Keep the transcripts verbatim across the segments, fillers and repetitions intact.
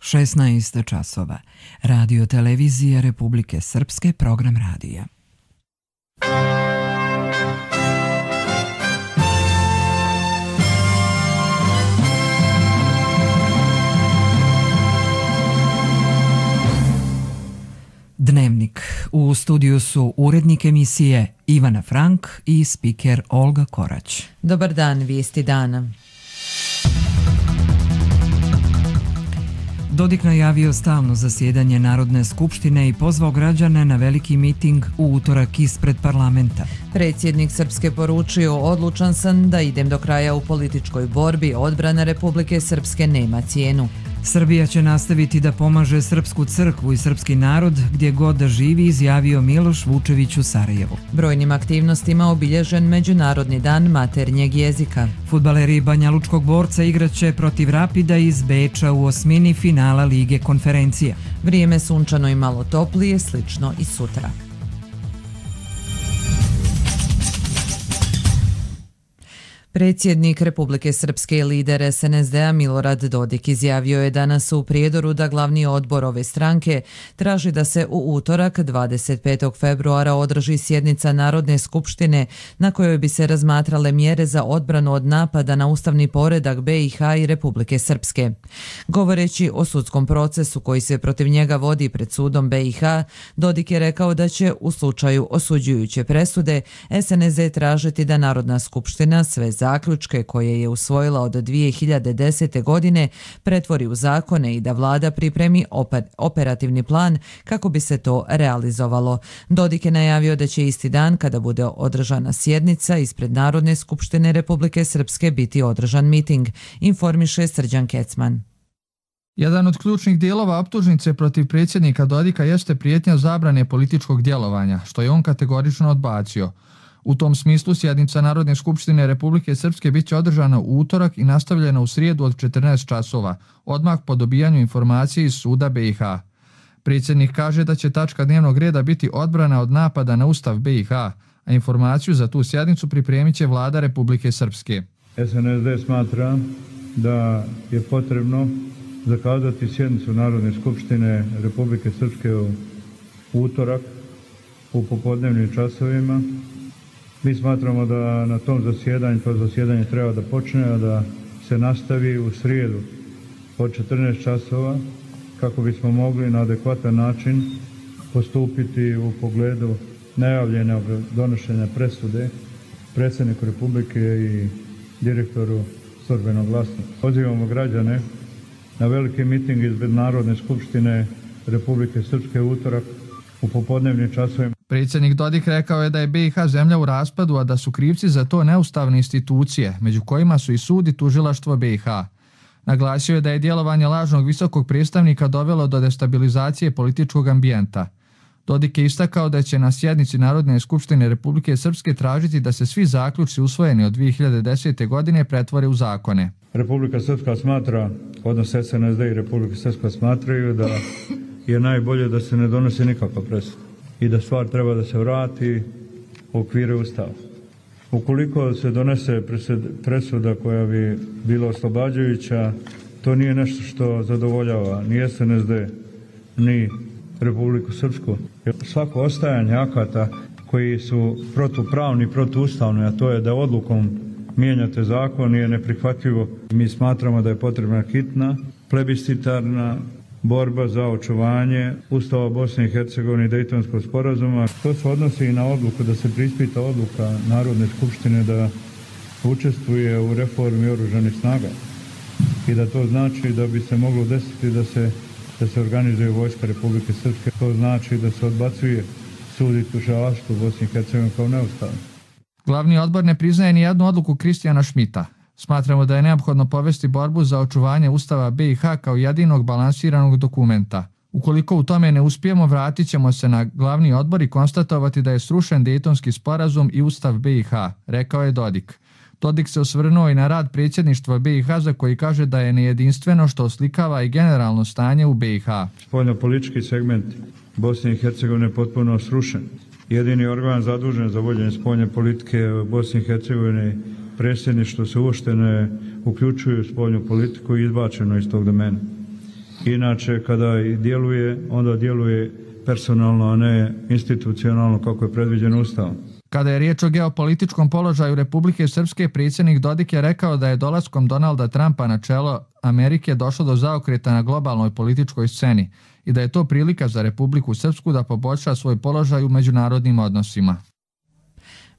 šesnaest časova. Radio televizija Republike Srpske, program radija. Dnevnik. U studiju su urednik emisije Ivana Frank i spiker Olga Korać. Dobar dan, vijesti dana. Dodik najavio stalno zasjedanje Narodne skupštine i pozvao građane na veliki miting u utorak ispred parlamenta. Predsjednik Srpske poručio: odlučan sam da idem do kraja u političkoj borbi, odbrana Republike Srpske nema cijenu. Srbija će nastaviti da pomaže Srpsku crkvu i srpski narod gdje god da živi, izjavio Miloš Vučević u Sarajevu. Brojnim aktivnostima obilježen Međunarodni dan maternjeg jezika. Fudbaleri Banjalučkog Borca igraće protiv Rapida iz Beča u osmini finala Lige konferencija. Vrijeme sunčano i malo toplije, slično i sutra. Predsjednik Republike Srpske i lider es en es de a Milorad Dodik izjavio je danas u Prijedoru da glavni odbor ove stranke traži da se u utorak dvadeset petog februara održi sjednica Narodne skupštine na kojoj bi se razmatrale mjere za odbranu od napada na ustavni poredak be i ha i Republike Srpske. Govoreći o sudskom procesu koji se protiv njega vodi pred sudom be i ha, Dodik je rekao da će u slučaju osuđujuće presude es en es de tražiti da Narodna skupština sve zaključke koje je usvojila od dvije hiljade desete. godine pretvori u zakone i da vlada pripremi operativni plan kako bi se to realizovalo. Dodik je najavio da će isti dan kada bude održana sjednica ispred Narodne skupštine Republike Srpske biti održan miting, informiše Srđan Kecman. Jedan od ključnih dijelova optužnice protiv predsjednika Dodika jeste prijetnja zabrane političkog djelovanja, što je on kategorično odbacio. U tom smislu sjednica Narodne skupštine Republike Srpske bit će održana u utorak i nastavljena u srijedu od četrnaest časova, odmah po dobijanju informacije iz suda be i ha. Predsjednik kaže da će tačka dnevnog reda biti odbrana od napada na ustav be i ha, a informaciju za tu sjednicu pripremit će vlada Republike Srpske. es en es de smatra da je potrebno zakazati sjednicu Narodne skupštine Republike Srpske u utorak u popodnevnim časovima. Mi smatramo da na tom zasjedanju, to zasjedanje treba da počne, a da se nastavi u srijedu od četrnaest časova kako bismo mogli na adekvatan način postupiti u pogledu najavljenog donošenja presude predsjedniku Republike i direktoru Službenog glasnika. Pozivamo građane na veliki miting ispred Narodne skupštine Republike Srpske u utorak u popodnevnim časovima. Predsjednik Dodik rekao je da je be i ha zemlja u raspadu, a da su krivci za to neustavne institucije, među kojima su i sud i tužilaštvo be i ha. Naglasio je da je djelovanje lažnog visokog predstavnika dovelo do destabilizacije političkog ambijenta. Dodik je istakao da će na sjednici Narodne skupštine Republike Srpske tražiti da se svi zaključci usvojeni od dvije hiljade desete. godine pretvore u zakone. Republika Srpska smatra, odnosno es en es de i Republika Srpska smatraju da je najbolje da se ne donosi nikakva presuda i da stvar treba da se vrati u okvire Ustava. Ukoliko se donese presuda koja bi bila oslobađajuća, to nije nešto što zadovoljava ni es en es de, ni Republiku Srpsku. Svako ostajanje akata koji su protupravni i protuustavni, a to je da odlukom mijenjate zakon, je neprihvatljivo. Mi smatramo da je potrebna hitna, plebiscitarna borba za očuvanje Ustava Bosne i Hercegovine i Dejtonskog sporazuma. To se odnosi i na odluku da se preispita odluka Narodne skupštine da učestvuje u reformi oružanih snaga i da to znači da bi se moglo desiti da se, da se organizuje vojska Republike Srpske. To znači da se odbacuje sud i tužilaštvo u Bosni i Hercegovini kao neustavno. Glavni odbor ne priznaje ni jednu odluku Kristijana Šmita. Smatramo da je neophodno povesti borbu za očuvanje Ustava be i ha kao jedinog balansiranog dokumenta. Ukoliko u tome ne uspijemo, vratit ćemo se na glavni odbor i konstatovati da je srušen Dejtonski sporazum i Ustav be i ha, rekao je Dodik. Dodik se osvrnuo i na rad predsjedništva be i ha za koji kaže da je nejedinstveno, što oslikava i generalno stanje u be i ha. Spoljnopolitički segment Bosne i Hercegovine je potpuno srušen. Jedini organ zadužen za vođenje spoljne politike u Bosni i Hercegovini, predsjedništvo se uopšte ne uključuju u spoljnu politiku i izbačeno iz tog domena. Inače, kada i djeluje, onda djeluje personalno, a ne institucionalno kako je predviđeno Ustavom. Kada je riječ o geopolitičkom položaju Republike Srpske, predsjednik Dodik je rekao da je dolaskom Donalda Trumpa na čelo Amerike došlo do zaokreta na globalnoj političkoj sceni i da je to prilika za Republiku Srpsku da poboljša svoj položaj u međunarodnim odnosima.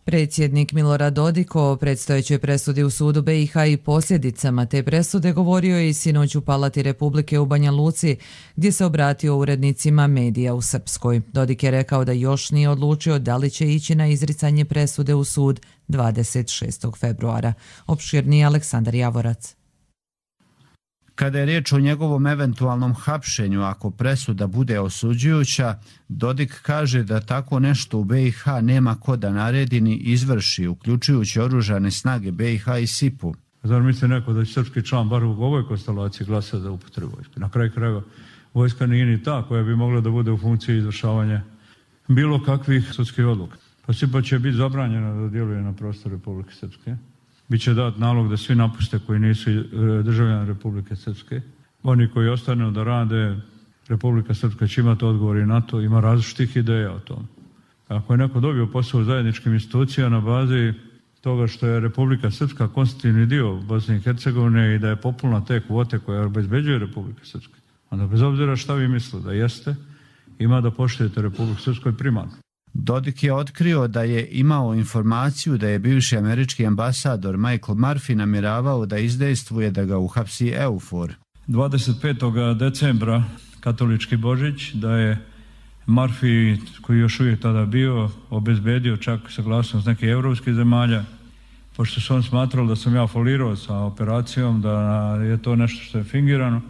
Predsjednik Milorad Dodik o predstojećoj presudi u sudu B i H i posljedicama te presude govorio je i sinoć u Palati Republike u Banja Luci, gdje se obratio urednicima medija u Srpskoj. Dodik je rekao da još nije odlučio da li će ići na izricanje presude u sud dvadeset šestog februara. Opširniji Aleksandar Javorac. Kada je riječ o njegovom eventualnom hapšenju, ako presuda bude osuđujuća, Dodik kaže da tako nešto u B i H nema ko da naredi ni izvrši, uključujući oružane snage B i H i S I P-u. Zar misli neko da će srpski član bar u ovoj konstelaciji glasa za upotrebu vojske? Na kraju krajeva, vojska nije ni ta koja bi mogla da bude u funkciji izvršavanja bilo kakvih sudskih odluka. Pa S I P-a će biti zabranjena da djeluje na prostoru Republike Srpske. Biće dat nalog da svi napuste koji nisu državljani Republike Srpske. Oni koji ostanu da rade, Republika Srpska će imati odgovor i na to, ima različitih ideja o tom. Ako je neko dobio posao u zajedničkim institucijama na bazi toga što je Republika Srpska konstitutivni dio Bosne i Hercegovine i da je populna te kvote koje obezbeđuje Republika Srpska, onda bez obzira šta vi mislite da jeste, ima da poštujete Republiku Srpsku primarno. Dodik je otkrio da je imao informaciju da je bivši američki ambasador Michael Murphy namjeravao da izdejstvuje da ga uhapsi EUFOR. dvadeset petog decembra, katolički Božić, da je Murphy, koji još uvijek tada bio, obezbedio čak saglasnost nekih europskih zemalja, pošto su on smatrali da sam ja folirao sa operacijom, da je to nešto što je fingirano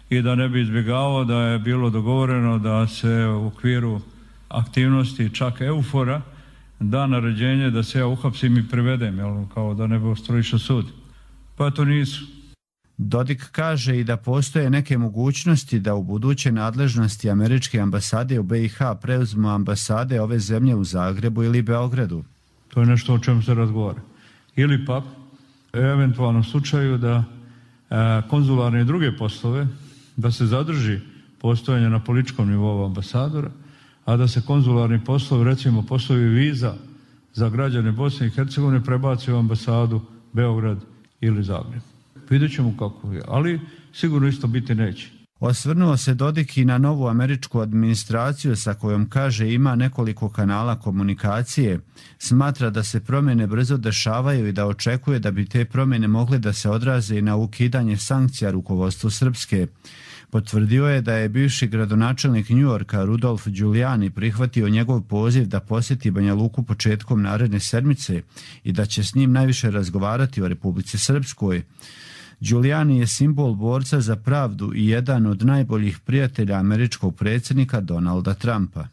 i da ne bi izbjegavao da je bilo dogovoreno da se u okviru aktivnosti čak EUFOR-a da naređenje da se ja uhapsim i privedem, jel, kao da ne bi ostrojišao sud. Pa to nisu. Dodik kaže i da postoje neke mogućnosti da u buduće nadležnosti američke ambasade u B i H preuzmu ambasade ove zemlje u Zagrebu ili Beogradu. To je nešto o čemu se razgovara. Ili pak, u eventualnom slučaju da e, konzularne i druge poslove, da se zadrži postojanje na političkom nivou ambasadora, a da se konzularni poslovi, recimo poslovi viza za građane Bosne i Hercegovine prebaci u ambasadu Beograd ili Zagreb. Vidjet ćemo kako je, ali sigurno isto biti neće. Osvrnuo se Dodik i na novu američku administraciju sa kojom kaže ima nekoliko kanala komunikacije, smatra da se promjene brzo dešavaju i da očekuje da bi te promjene mogle da se odraze i na ukidanje sankcija rukovodstvu Srpske. Potvrdio je da je bivši gradonačelnik New Yorka Rudolf Giuliani prihvatio njegov poziv da posjeti Banja Luku početkom naredne sedmice i da će s njim najviše razgovarati o Republici Srpskoj. Giuliani je simbol borca za pravdu i jedan od najboljih prijatelja američkog predsjednika Donalda Trumpa.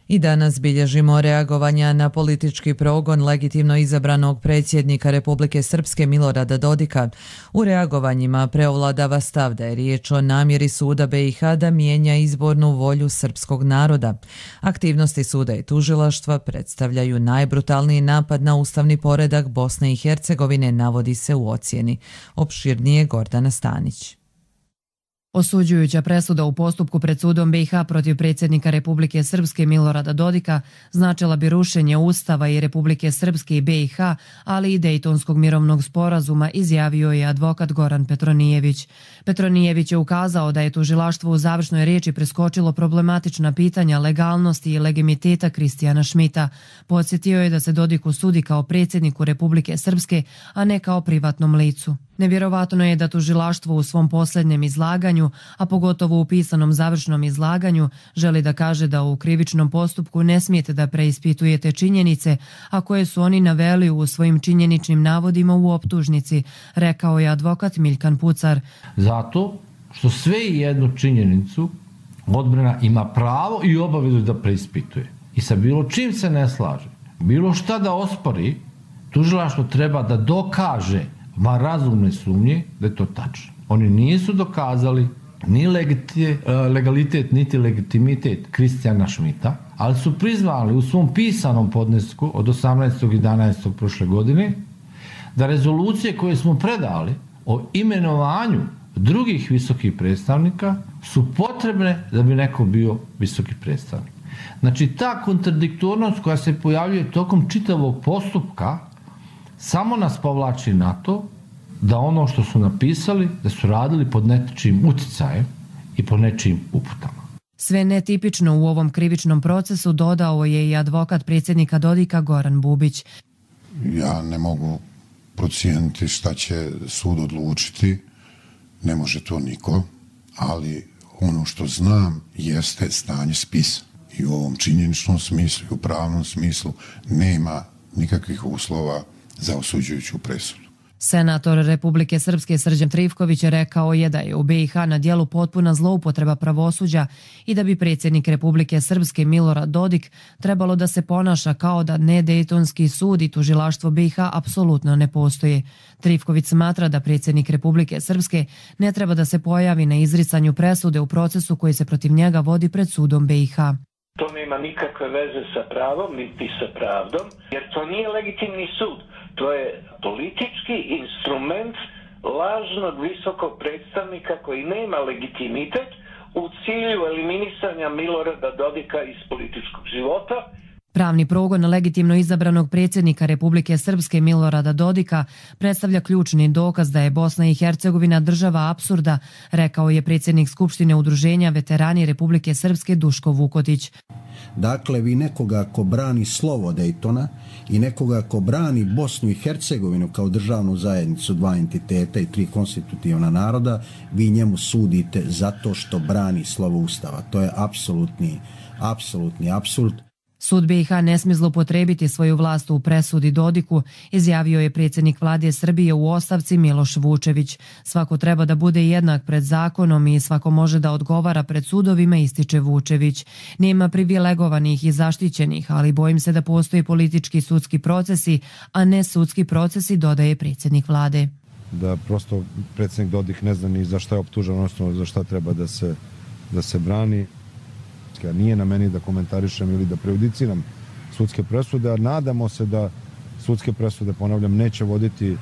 I danas bilježimo reagovanja na politički progon legitimno izabranog predsjednika Republike Srpske Milorada Dodika. U reagovanjima preovladava stav da je riječ o namjeri suda B i H da mijenja izbornu volju srpskog naroda. Aktivnosti suda i tužilaštva predstavljaju najbrutalniji napad na ustavni poredak Bosne i Hercegovine, navodi se u ocjeni. Opširnije Gordana Stanić. Osuđujuća presuda u postupku pred sudom B i H protiv predsjednika Republike Srpske Milorada Dodika značila bi rušenje Ustava i Republike Srpske i B i H, ali i Dejtonskog mirovnog sporazuma, izjavio je advokat Goran Petronijević. Petronijević je ukazao da je tužilaštvo u završnoj riječi preskočilo problematična pitanja legalnosti i legitimiteta Kristijana Šmita. Podsjetio je da se Dodiku sudi kao predsjedniku Republike Srpske, a ne kao privatnom licu. Nevjerovatno je da tužilaštvo u svom posljednjem izlaganju, a pogotovo u pisanom završnom izlaganju, želi da kaže da u krivičnom postupku ne smijete da preispitujete činjenice, a koje su oni naveli u svojim činjeničnim navodima u optužnici, rekao je advokat Miljkan Pucar. Zato što sve i jednu činjenicu odbrana ima pravo i obavezu da preispituje. I sa bilo čim se ne slaže, bilo šta da ospori, tužilaštvo treba da dokaže ma razumne sumnje da je to tačno. Oni nisu dokazali ni legalitet, niti legitimitet Kristijana Šmita, ali su priznali u svom pisanom podnesku od osamnaestog jedanaestog prošle godine da rezolucije koje smo predali o imenovanju drugih visokih predstavnika su potrebne da bi neko bio visoki predstavnik. Znači, ta kontradiktornost koja se pojavljuje tokom čitavog postupka samo nas povlači na to da ono što su napisali, da su radili pod nečijim uticajem i pod nečijim uputama. Sve netipično u ovom krivičnom procesu dodao je i advokat predsjednika Dodika Goran Bubić. Ja ne mogu procijeniti šta će sud odlučiti, ne može to niko, ali ono što znam jeste stanje spisa. I u ovom činjeničnom smislu i u pravnom smislu nema nikakvih uslova za osuđujuću presudu. Senator Republike Srpske Srđan Trivković rekao je da je u B i H na djelu potpuna zloupotreba pravosuđa i da bi predsjednik Republike Srpske Milorad Dodik trebalo da se ponaša kao da nedejtonski sud i tužilaštvo B i H apsolutno ne postoje. Trivković smatra da predsjednik Republike Srpske ne treba da se pojavi na izricanju presude u procesu koji se protiv njega vodi pred sudom B i H. To nema nikakve veze sa pravom niti sa pravdom, jer to nije legitimni sud. To je politički instrument lažnog visokog predstavnika koji nema legitimitet u cilju eliminisanja Milorada Dodika iz političkog života. Pravni progon legitimno izabranog predsjednika Republike Srpske Milorada Dodika predstavlja ključni dokaz da je Bosna i Hercegovina država apsurda, rekao je predsjednik Skupštine Udruženja veterani Republike Srpske Duško Vukotić. Dakle, vi nekoga ko brani slovo Dejtona i nekoga ko brani Bosnu i Hercegovinu kao državnu zajednicu dva entiteta i tri konstitutivna naroda, vi njemu sudite zato što brani slovo Ustava. To je apsolutni, apsolutni apsurd. Sud B i H ne smije zloupotrijebiti svoju vlast u presudi Dodiku, izjavio je predsjednik vlade Srbije u ostavci Miloš Vučević. Svako treba da bude jednak pred zakonom i svako može da odgovara pred sudovima, ističe Vučević. Nema privilegovanih i zaštićenih, ali bojim se da postoji politički sudski procesi, a ne sudski procesi, dodaje predsjednik vlade. Da prosto predsjednik Dodik ne zna ni za šta je optužen, odnosno za šta treba da se, da se brani. Nije na meni da komentarišem ili da prejudiciram sudske presude, a nadamo se da sudske presude, ponavljam, neće voditi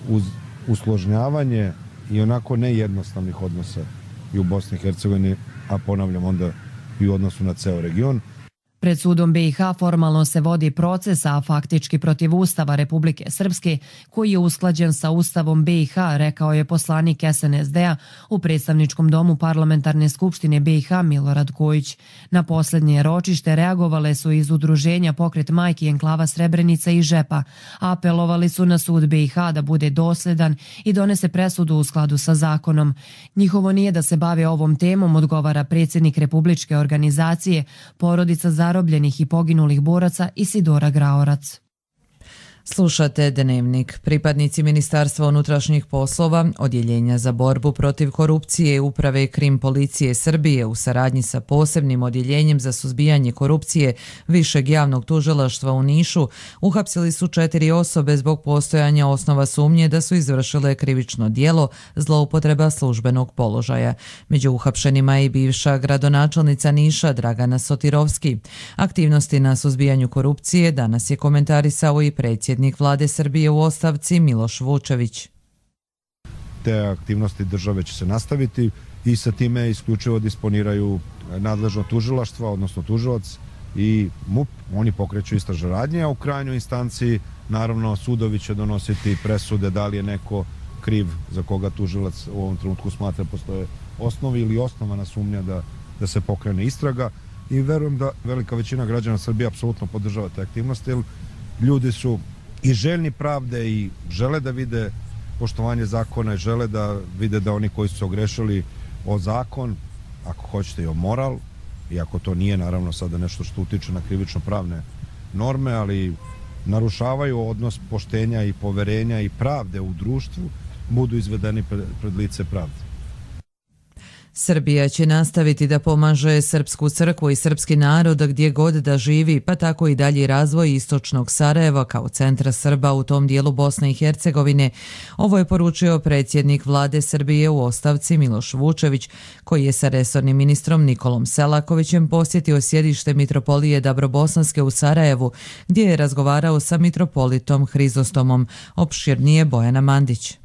uz usložnjavanje i onako nejednostavnih odnosa i u Bosni i Hercegovini, a ponavljam onda i u odnosu na ceo region. Pred sudom B i H formalno se vodi proces, a faktički protiv Ustava Republike Srpske, koji je usklađen sa Ustavom B i H, rekao je poslanik S N S D-a u predstavničkom domu Parlamentarne skupštine B i H Milorad Kojić. Na posljednje ročište reagovale su iz udruženja Pokret majki enklava Srebrenica i Žepa. Apelovali su na sud B i H da bude dosljedan i donese presudu u skladu sa zakonom. Njihovo nije da se bave ovom temom, odgovara predsjednik Republičke organizacije Porodica zarobljenih i poginulih boraca Isidora Graorac. Slušate Dnevnik. Pripadnici Ministarstva unutrašnjih poslova, Odjeljenja za borbu protiv korupcije Uprave Krim policije Srbije u saradnji sa posebnim odjeljenjem za suzbijanje korupcije Višeg javnog tužilaštva u Nišu uhapsili su četiri osobe zbog postojanja osnova sumnje da su izvršile krivično djelo zloupotreba službenog položaja. Među uhapšenima je i bivša gradonačelnica Niša Dragana Sotirovski. Aktivnosti na suzbijanju korupcije danas je komentarisao i predsjednik vlade Srbije u ostavci Miloš Vučević. Te aktivnosti države će se nastaviti i sa time isključivo disponiraju nadležno tužilaštvo, odnosno tužilac i M U P. Oni pokreću istražne radnje, a u krajnjoj instanciji naravno sudovi će donositi presude da li je neko kriv za koga tužilac u ovom trenutku smatra postoje osnovi ili osnovana sumnja da, da se pokrene istraga, i verujem da velika većina građana Srbije apsolutno podržava te aktivnosti, jer ljudi su i željni pravde i žele da vide poštovanje zakona i žele da vide da oni koji su se ogrešili o zakon, ako hoćete i o moral, iako to nije naravno sada nešto što utiče na krivično pravne norme, ali narušavaju odnos poštenja i poverenja i pravde u društvu, budu izvedeni pred, pred lice pravde. Srbija će nastaviti da pomaže srpsku crkvu i srpski narod gdje god da živi, pa tako i dalji razvoj istočnog Sarajeva kao centra Srba u tom dijelu Bosne i Hercegovine. Ovo je poručio predsjednik vlade Srbije u ostavci Miloš Vučević, koji je sa resornim ministrom Nikolom Selakovićem posjetio sjedište mitropolije Dabrobosanske u Sarajevu, gdje je razgovarao sa mitropolitom Hrizostomom. Opširnije Bojana Mandić.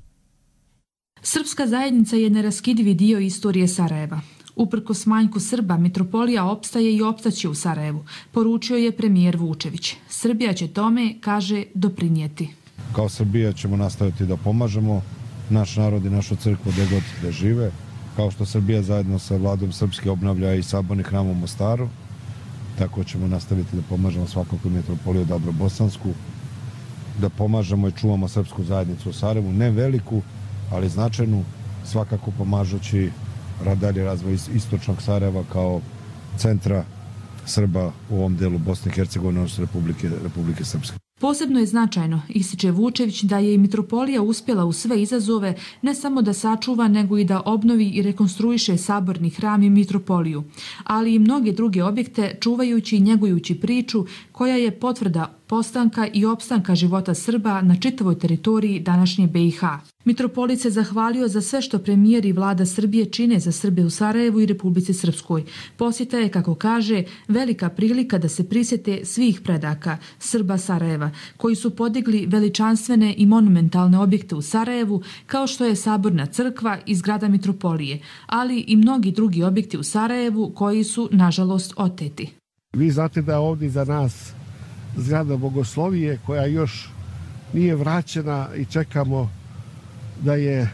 Srpska zajednica je neraskidivi dio istorije Sarajeva. Uprkos manjku Srba, mitropolija opstaje i opstaće u Sarajevu, poručio je premijer Vučević. Srbija će tome, kaže, doprinijeti. Kao Srbija ćemo nastaviti da pomažemo naš narod i našu crkvu gdje god da žive, kao što Srbija zajedno sa vladom Srpske obnavlja i saborni hram u Mostaru, tako ćemo nastaviti da pomažemo svakako mitropoliju Dabrobosansku, da pomažemo i čuvamo srpsku zajednicu u Sarajevu, ne veliku, ali značajnu, svakako pomažući dalje razvoj istočnog Sarajeva kao centra Srba u ovom delu Bosne i Hercegovine, odnosno Republike, Republike Srpske. Posebno je značajno, ističe Vučević, da je i mitropolija uspjela u sve izazove ne samo da sačuva, nego i da obnovi i rekonstruiše saborni hram i mitropoliju, ali i mnoge druge objekte, čuvajući i njegujući priču koja je potvrda postanka i opstanka života Srba na čitavoj teritoriji današnje B i H. Mitropolit se zahvalio za sve što premijer i vlada Srbije čine za Srbe u Sarajevu i Republici Srpskoj. Posjeta je, kako kaže, velika prilika da se prisjete svih predaka Srba Sarajeva, koji su podigli veličanstvene i monumentalne objekte u Sarajevu, kao što je Saborna crkva i zgrada mitropolije, ali i mnogi drugi objekti u Sarajevu koji su, nažalost, oteti. Vi znate da ovdje za nas zgrada Bogoslovije koja još nije vraćena i čekamo da je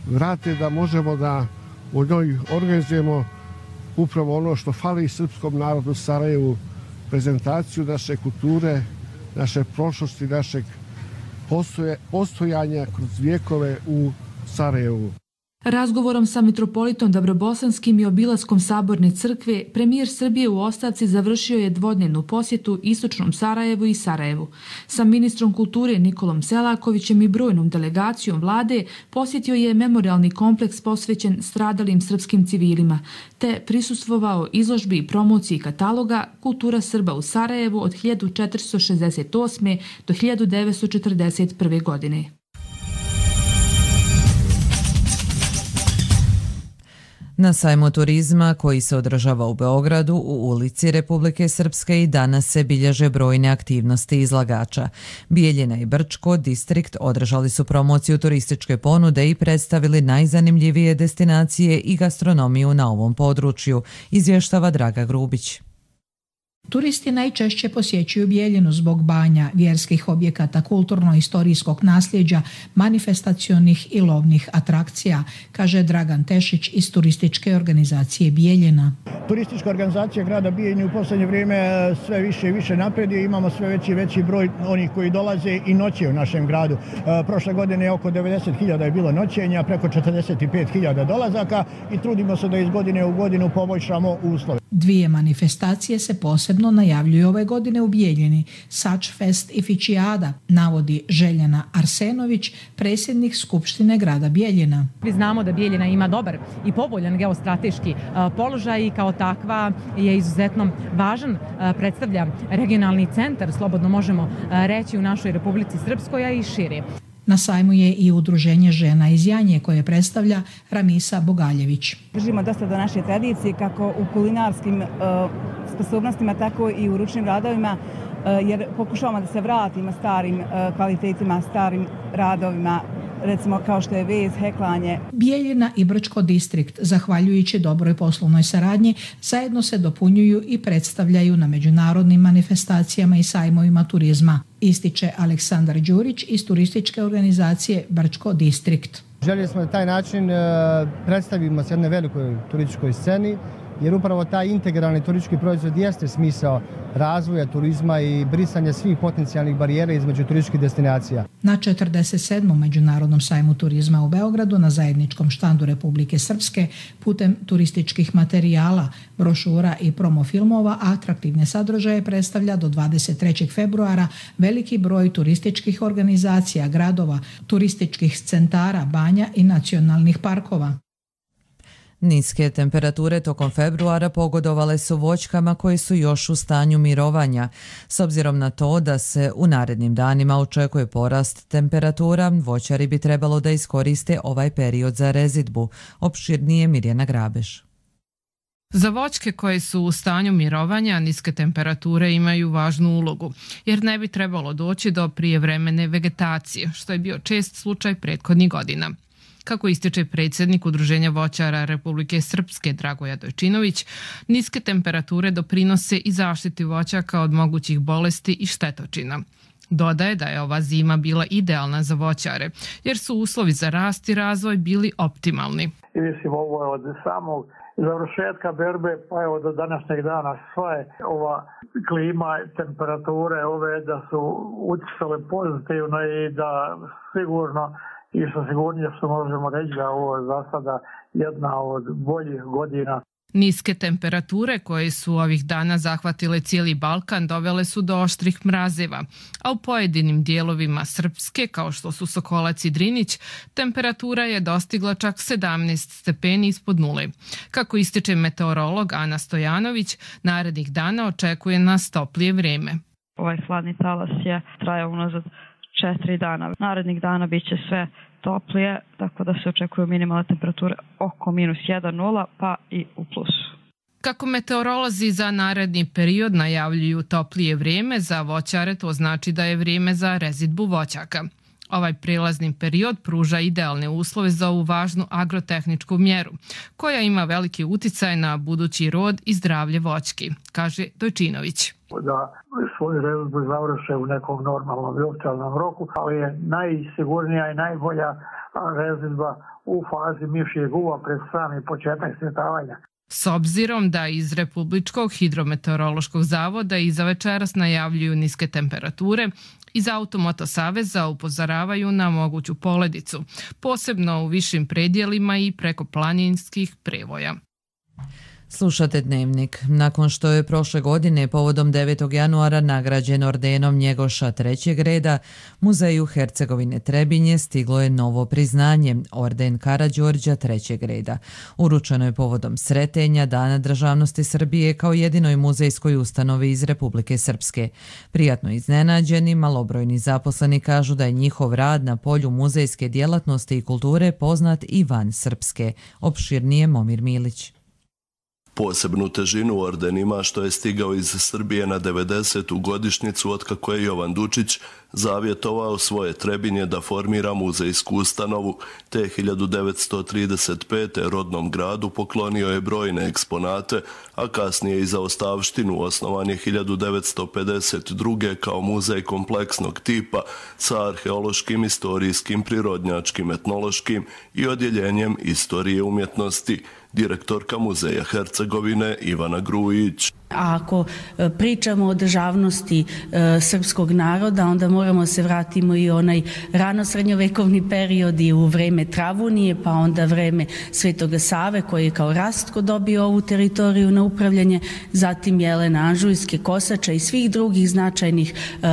vrate, da možemo da u njoj organizujemo upravo ono što fali srpskom narodu u Sarajevu, prezentaciju naše kulture, naše prošlosti, našeg postoje, postojanja kroz vijekove u Sarajevu. Razgovorom sa mitropolitom Dabrobosanskim i obilaskom Saborne crkve, premijer Srbije u ostavci završio je dvodnevnu posjetu istočnom Sarajevu i Sarajevu. Sa ministrom kulture Nikolom Selakovićem i brojnom delegacijom vlade posjetio je memorialni kompleks posvećen stradalim srpskim civilima, te prisustvovao izložbi i promociji kataloga Kultura Srba u Sarajevu od hiljadu četiristo šezdeset osme. do hiljadu devetsto četrdeset prve. godine. Na sajmu turizma koji se održava u Beogradu u ulici Republike Srpske i danas se bilježe brojne aktivnosti izlagača. Bijeljina i Brčko distrikt održali su promociju turističke ponude i predstavili najzanimljivije destinacije i gastronomiju na ovom području, izvještava Draga Grubić. Turisti najčešće posjećuju Bijeljinu zbog banja, vjerskih objekata, kulturno-istorijskog nasljeđa, manifestacionih i lovnih atrakcija, kaže Dragan Tešić iz turističke organizacije Bijeljina. Turistička organizacija grada Bijeljine u posljednje vrijeme sve više i više napreduje, imamo sve veći i veći broj onih koji dolaze i noće u našem gradu. Prošle godine oko devedeset hiljada je bilo noćenja, preko četrdeset pet hiljada dolazaka i trudimo se da iz godine u godinu poboljšamo uslove. Dvije manifestacije se posebno najavljuju ove godine u Bijeljini, Sačfest i Fičijada, navodi Željana Arsenović, predsjednik Skupštine grada Bijeljina. Mi znamo da Bijeljina ima dobar i povoljan geostrateški položaj i kao takva je izuzetno važan, predstavlja regionalni centar, slobodno možemo reći, u našoj Republici Srpskoj, a i šire. Na sajmu je i udruženje žena iz Janje koje predstavlja Ramisa Bogaljević. Držimo dosta do naše tradicije kako u kulinarskim uh, sposobnostima, tako i u ručnim radovima, uh, jer pokušavamo da se vratimo starim uh, kvalitetima, starim radovima, recimo kao što je vez, heklanje. Bijeljina i Brčko distrikt, zahvaljujući dobroj poslovnoj saradnji, zajedno se dopunjuju i predstavljaju na međunarodnim manifestacijama i sajmovima turizma, ističe Aleksandar Đurić iz turističke organizacije Brčko distrikt. Željeli smo na taj način predstavimo se jednoj velikoj turističkoj sceni, jer upravo taj integralni turistički proizvod jeste smisao razvoja turizma i brisanja svih potencijalnih barijera između turističkih destinacija. Na četrdeset sedmom Međunarodnom sajmu turizma u Beogradu na zajedničkom štandu Republike Srpske putem turističkih materijala, brošura i promofilmova atraktivne sadržaje predstavlja do dvadeset trećeg februara veliki broj turističkih organizacija, gradova, turističkih centara, banja i nacionalnih parkova. Niske temperature tokom februara pogodovale su voćkama koji su još u stanju mirovanja. S obzirom na to da se u narednim danima očekuje porast temperatura, voćari bi trebalo da iskoriste ovaj period za rezidbu. Opširnije Mirjana Grabeš. Za voćke koje su u stanju mirovanja niske temperature imaju važnu ulogu, jer ne bi trebalo doći do prijevremene vegetacije, što je bio čest slučaj prethodnih godina. Kako ističe predsjednik Udruženja voćara Republike Srpske Dragoja Dojčinović, niske temperature doprinose i zaštiti voćaka od mogućih bolesti i štetočina. Dodaje da je ova zima bila idealna za voćare, jer su uslovi za rast i razvoj bili optimalni. I mislim, ovo je od samog završetka berbe, pa evo do današnjeg dana sva je ova klima, temperature ove da su utjecale pozitivno i da sigurno i što sigurnije što možemo reći da ovo je za sada jedna od boljih godina. Niske temperature koje su ovih dana zahvatile cijeli Balkan dovele su do oštrih mrazeva, a u pojedinim dijelovima Srpske, kao što su Sokolac i Drinić, temperatura je dostigla čak sedamnaest stepeni ispod nule. Kako ističe meteorolog Ana Stojanović, narednih dana očekuje nas toplije vrijeme. Ovaj hladni talas je trajao unazad četiri dana. Narednih dana bit će sve toplije, tako da se očekuju minimalne temperature oko minus jedan nula pa i u plusu. Kako meteorolozi za naredni period najavljuju toplije vrijeme, za voćare to znači da je vrijeme za rezidbu voćaka. Ovaj prilazni period pruža idealne uslove za ovu važnu agrotehničku mjeru, koja ima veliki uticaj na budući rod i zdravlje voćki, kaže Dojčinović. Da svoju rezidbu završe u nekom normalnom i optimalnom roku, ali je najsigurnija i najbolja rezidba u fazi mišjeg uva pred sami početak cvjetavanja. S obzirom da iz Republičkog hidrometeorološkog zavoda i za večeras najavljuju niske temperature, iz Automoto saveza upozoravaju na moguću poledicu, posebno u višim predjelima i preko planinskih prevoja. Slušate Dnevnik. Nakon što je prošle godine povodom devetog januara nagrađen ordenom Njegoša trećeg reda, Muzeju Hercegovine Trebinje stiglo je novo priznanje, orden Karađorđa trećeg reda. Uručeno je povodom sretenja Dana državnosti Srbije kao jedinoj muzejskoj ustanovi iz Republike Srpske. Prijatno iznenađeni, malobrojni zaposleni kažu da je njihov rad na polju muzejske djelatnosti i kulture poznat i van Srpske. Opširnije Momir Milić. Posebnu težinu orden ima što je stigao iz Srbije na devedesetu godišnjicu otkako je Jovan Dučić zavjetovao svoje Trebinje da formira muzejsku ustanovu, te hiljadu devetsto trideset pete. rodnom gradu poklonio je brojne eksponate, a kasnije i za ostavštinu osnovan je hiljadu devetsto pedeset druge. kao muzej kompleksnog tipa sa arheološkim, istorijskim, prirodnjačkim, etnološkim i odjeljenjem istorije umjetnosti. Direktorka Muzeja Hercegovine Ivana Grujić. A ako pričamo o državnosti e, srpskog naroda, onda moramo se vratimo i onaj rano srednjovekovni period i u vreme Travunije, pa onda vreme Svetoga Save koji je kao Rastko dobio ovu teritoriju na upravljanje, zatim Jelena Anžujske, Kosača i svih drugih značajnih e,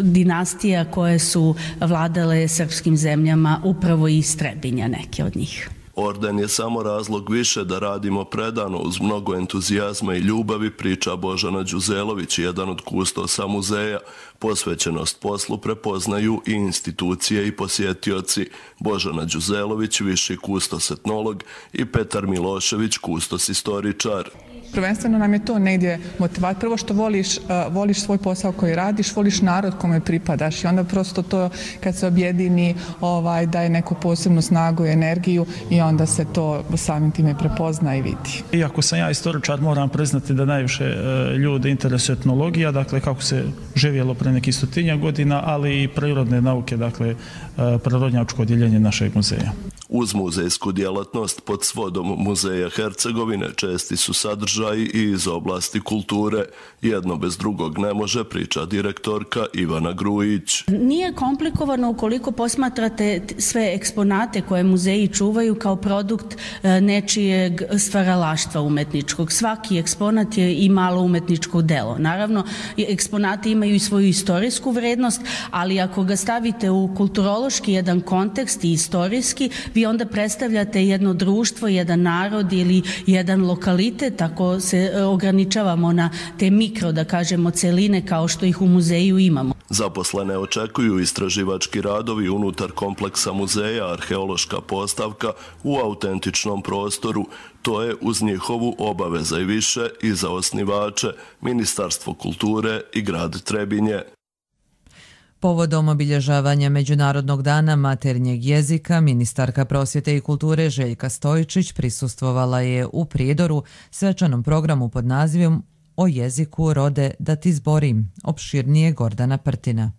dinastija koje su vladale srpskim zemljama, upravo iz Trebinja neke od njih. Orden je samo razlog više da radimo predano uz mnogo entuzijazma i ljubavi, priča Božana Đuzelović, jedan od kustosa muzeja. Posvećenost poslu prepoznaju i institucije i posjetioci. Božana Đuzelović, viši kustos etnolog, i Petar Milošević, kustos istoričar. Prvenstveno nam je to negdje motivat. Prvo što voliš, uh, voliš svoj posao koji radiš, voliš narod kome pripadaš i onda prosto to kad se objedini ovaj, daje neku posebnu snagu i energiju i onda se to samim time prepozna i vidi. Iako sam ja istoričar, moram priznati da najviše uh, ljude interesuje etnologija, dakle kako se živjelo pre nekih stotinja godina, ali i prirodne nauke, dakle uh, prirodnjačko odjeljenje našeg muzeja. Uz muzejsku djelatnost pod svodom Muzeja Hercegovine česti su sadržaji i iz oblasti kulture. Jedno bez drugog ne može, priča direktorka Ivana Grujić. Nije komplikovano ukoliko posmatrate sve eksponate koje muzeji čuvaju kao produkt nečijeg stvaralaštva umetničkog. Svaki eksponat je i malo umetničko delo. Naravno, eksponati imaju i svoju istorijsku vrednost, ali ako ga stavite u kulturološki jedan kontekst i istorijski, vi onda predstavljate jedno društvo, jedan narod ili jedan lokalitet, ako se ograničavamo na te mikro, da kažemo, celine kao što ih u muzeju imamo. Zaposlene očekuju istraživački radovi unutar kompleksa muzeja, arheološka postavka u autentičnom prostoru. To je uz njihovu obaveza i više i za osnivače, Ministarstvo kulture i grad Trebinje. Povodom obilježavanja Međunarodnog dana maternjeg jezika, ministarka prosvjete i kulture Željka Stojičić prisustvovala je u Prijedoru svečanom programu pod nazivom O jeziku rode da ti zborim, opširnije Gordana Prtina.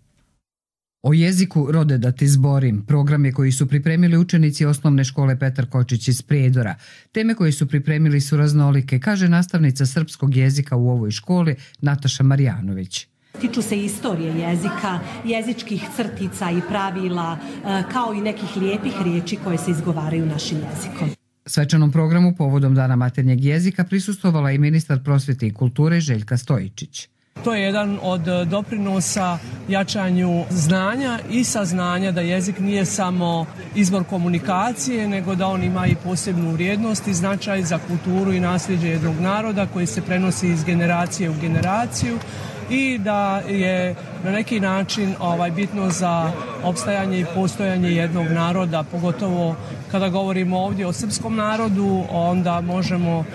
O jeziku rode da ti zborim, program je koji su pripremili učenici osnovne škole Petar Kočić iz Prijedora. Teme koje su pripremili su raznolike, kaže nastavnica srpskog jezika u ovoj školi Nataša Marjanović. Tiču se istorije jezika, jezičkih crtica i pravila, kao i nekih lijepih riječi koje se izgovaraju našim jezikom. Svečanom programu povodom Dana maternjeg jezika prisustvovala i ministar prosvjete i kulture Željka Stojičić. To je jedan od doprinosa jačanju znanja i saznanja da jezik nije samo izbor komunikacije, nego da on ima i posebnu vrijednost i značaj za kulturu i nasljeđe jednog naroda koji se prenosi iz generacije u generaciju i da je na neki način ovaj, bitno za opstajanje i postojanje jednog naroda, pogotovo kada govorimo ovdje o srpskom narodu, onda možemo uh,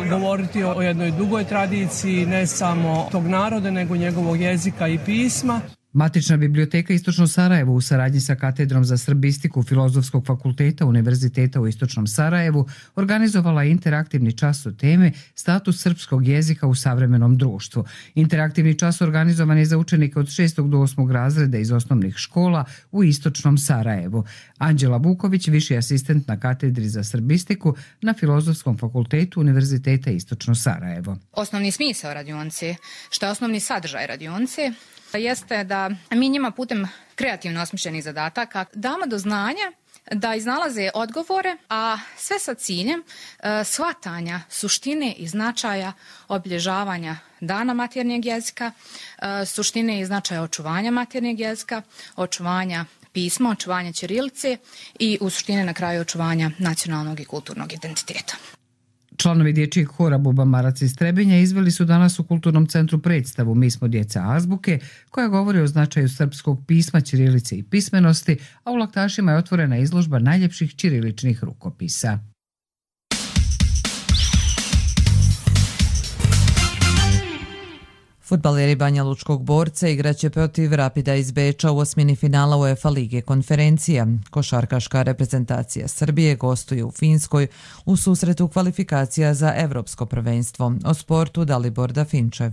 govoriti o jednoj dugoj tradiciji ne samo tog naroda, nego njegovog jezika i pisma. Matična biblioteka Istočno Sarajevo u saradnji sa Katedrom za srbistiku Filozofskog fakulteta Univerziteta u Istočnom Sarajevu organizovala interaktivni čas o teme Status srpskog jezika u savremenom društvu. Interaktivni čas organizovan je za učenike od šestog do osmog razreda iz osnovnih škola u Istočnom Sarajevu. Anđela Vuković, viši asistent na Katedri za srbistiku na Filozofskom fakultetu Univerziteta Istočno Sarajevo. Osnovni smisao radionice, što je osnovni sadržaj radionice, jeste da mi njima putem kreativno osmišljenih zadataka damo do znanja da iznalaze odgovore, a sve sa ciljem e, shvatanja suštine i značaja obilježavanja Dana maternjeg jezika, e, suštine i značaja očuvanja maternjeg jezika, očuvanja pisma, očuvanja ćirilice i u suštini na kraju očuvanja nacionalnog i kulturnog identiteta. Članovi dječjeg hora Buba Marac iz Trebinja izveli su danas u Kulturnom centru predstavu Mi smo djeca azbuke, koja govori o značaju srpskog pisma, ćirilice i pismenosti, a u Laktašima je otvorena izložba najljepših ćiriličnih rukopisa. Fudbaleri Banja Lučkog Borca igraće protiv Rapida iz Beča u osmini finala UEFA Lige konferencija. Košarkaška reprezentacija Srbije gostuje u Finskoj u susretu kvalifikacija za Evropsko prvenstvo. O sportu Dalibor Dafinčev.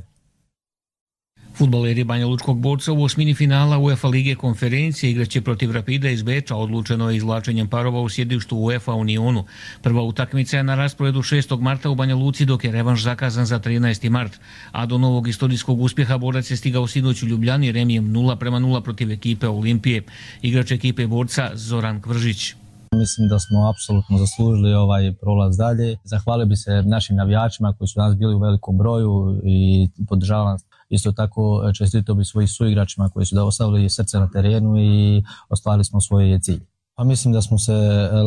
Fudbaleri Banja Lučkog Borca u osmini finala UEFA Lige konferencije igraće protiv Rapida iz Beča, odlučeno je izvlačenjem parova u sjedištu UEFA Unionu. Prva utakmica je na rasporedu šestog marta u Banja Luci, dok je revanš zakazan za trinaesti mart. A do novog istorijskog uspjeha Borac je stigao sinoć u Ljubljani remijem nula prema nula protiv ekipe Olimpije. Igrač ekipe Borca Zoran Kvržić. Mislim da smo apsolutno zaslužili ovaj prolaz dalje. Zahvalio bi se našim navijačima koji su danas bili u velikom broju i podržavam. Isto tako čestitao bi svojih suigračima koji su da ostavili srce na terenu i ostvarili smo svoj cilj. Pa mislim da smo se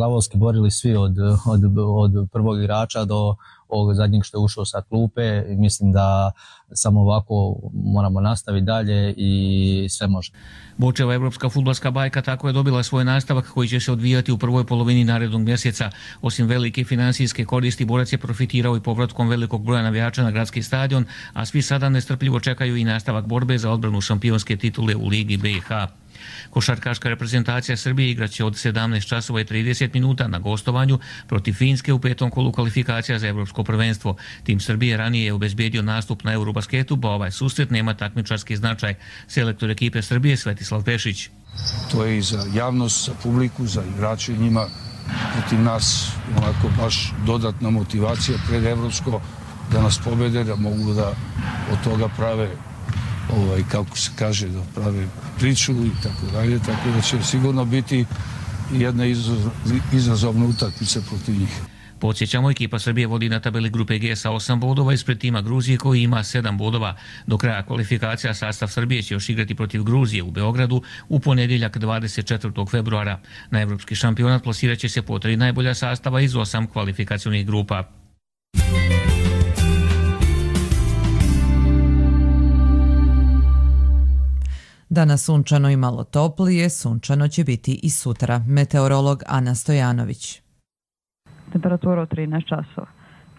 lavovski borili svi od, od, od prvog igrača do ovog zadnjeg što je ušao sa klupe i mislim da samo ovako moramo nastaviti dalje i sve može. Bočeva evropska fudbalska bajka tako je dobila svoj nastavak koji će se odvijati u prvoj polovini narednog mjeseca. Osim velike finansijske koristi, Borac je profitirao i povratkom velikog broja navijača na gradski stadion, a svi sada nestrpljivo čekaju i nastavak borbe za odbranu šampionske titule u Ligi B i H. Košarkaška reprezentacija Srbije igraće od sedamnaest časova i trideset minuta na gostovanju protiv Finske u petom kolu kvalifikacija za Evropsko prvenstvo. Tim Srbije ranije je obezbijedio nastup na Eurobasketu, pa ovaj susret nema takmičarski značaj. Selektor ekipe Srbije Svetislav Pešić. To je i za javnost, za publiku, za igrače njima protiv nas onako baš dodatna motivacija pred Evropsko da nas pobede, da mogu da od toga prave ovaj, kako se kaže, da prave priču i tako dalje, tako da će sigurno biti jedna izazovna utakmica protiv njih. Podsjećamo, ekipa Srbije vodi na tabeli grupe G sa osam bodova ispred tima Gruzije koji ima sedam bodova. Do kraja kvalifikacija sastav Srbije će još igrati protiv Gruzije u Beogradu u ponedjeljak dvadeset četvrtog februara. Na evropski šampionat plasirat će se po tri najbolja sastava iz osam kvalifikacionih grupa. Danas sunčano i malo toplije, sunčano će biti i sutra. Meteorolog Ana Stojanović. Temperatura od trinaest časova.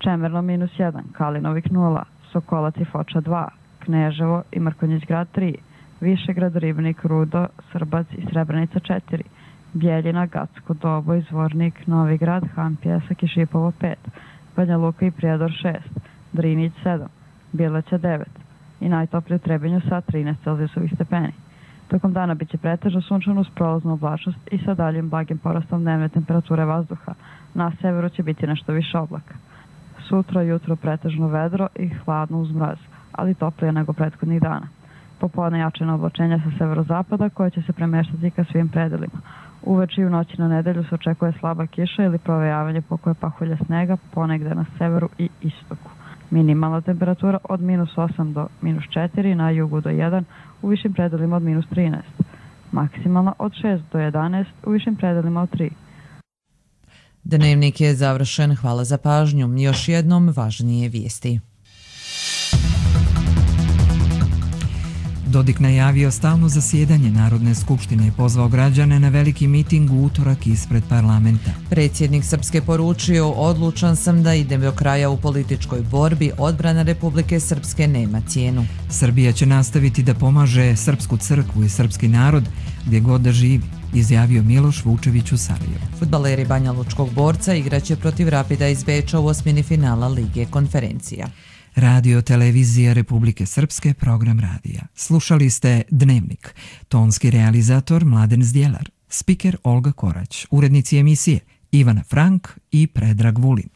Čemerno minus jedan, Kalinovik nula, Sokolac i Foča dva, Kneževo i Mrkonjić grad tri, Višegrad, Ribnik, Rudo, Srbac i Srebrenica četiri, Bjeljina, Gacko, Doboj, Zvornik, Novi Grad, Han, Pjesak i Šipovo pet, Banja Luka i Prijedor šest, Drinić sedam, Bileća devet i najtoplije u Trebinju sa trinaest Celzijusovih stepeni. Tokom dana biće pretežno sunčano uz prolaznu oblačnost i sa daljim blagim porastom dnevne temperature vazduha. Na severu će biti nešto više oblaka. Sutra jutro pretežno vedro i hladno uz mraz, ali toplije nego prethodnih dana. Popodne jačina oblačenja sa severozapada koje će se premeštati ka svim predelima. Uveče i u noći na nedelju se očekuje slaba kiša ili provejavanje pokoje pahulja snega ponegde na severu i istoku. Minimalna temperatura od minus osam do minus četiri, na jugu do jedan, u višim predelima od minus trinaest. Maksimalna od šest do jedanaest, u višim predelima od tri. Dnevnik je završen, hvala za pažnju. Još jednom važnije vijesti. Dodik najavio stalno zasjedanje Narodne skupštine i pozvao građane na veliki miting u utorak ispred parlamenta. Predsjednik Srpske poručio, odlučan sam da idem do kraja u političkoj borbi, odbrana Republike Srpske nema cijenu. Srbija će nastaviti da pomaže Srpsku crkvu i srpski narod gdje god da živi, izjavio Miloš Vučević u Sarajevu. Fudbaleri Banja Lučkog Borca igraće protiv Rapida iz Beča u osmini finala Lige konferencija. Radio Televizija Republike Srpske, program radija. Slušali ste Dnevnik. Tonski realizator Mladen Zdjelar. Spiker Olga Korać. Urednici emisije Ivana Frank i Predrag Vulin.